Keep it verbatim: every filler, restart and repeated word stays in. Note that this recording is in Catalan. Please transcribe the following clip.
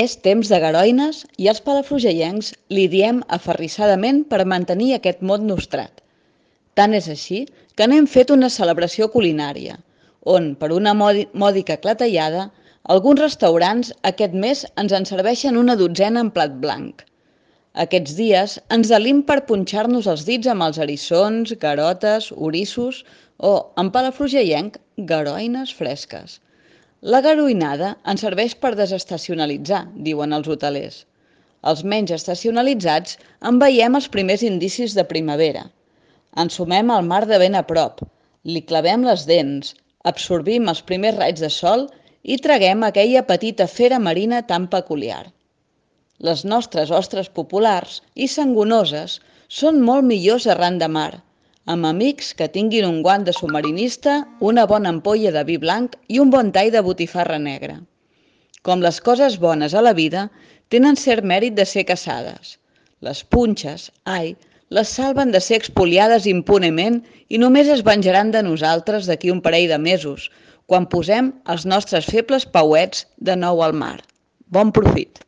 És temps de garoines i els palafrugellencs li diem aferrissadament per mantenir aquest mot nostrat. Tant és així que n'hem fet una celebració culinària, on, per una mòdica clatellada, alguns restaurants aquest mes ens en serveixen una dotzena en plat blanc. Aquests dies ens delim per punxar-nos els dits amb els eriçons, garotes, orissos o, en palafrugellenc, garoines fresques. La garoinada ens serveix per desestacionalitzar, diuen els hotelers. Els menys estacionalitzats en veiem els primers indicis de primavera. Ensumem el mar de ben a prop, li clavem les dents, absorbim els primers raigs de sol i traguem aquella petita fera marina tan peculiar. Les nostres ostres populars i sangonoses són molt millors arran de mar, amb amics que tinguin un guant de submarinista, una bona ampolla de vi blanc i un bon tall de botifarra negra. Com les coses bones a la vida, tenen cert mèrit de ser caçades. Les punxes, ai, les salven de ser expoliades impunement i només es venjaran de nosaltres d'aquí un parell de mesos, quan posem els nostres febles pauets de nou al mar. Bon profit!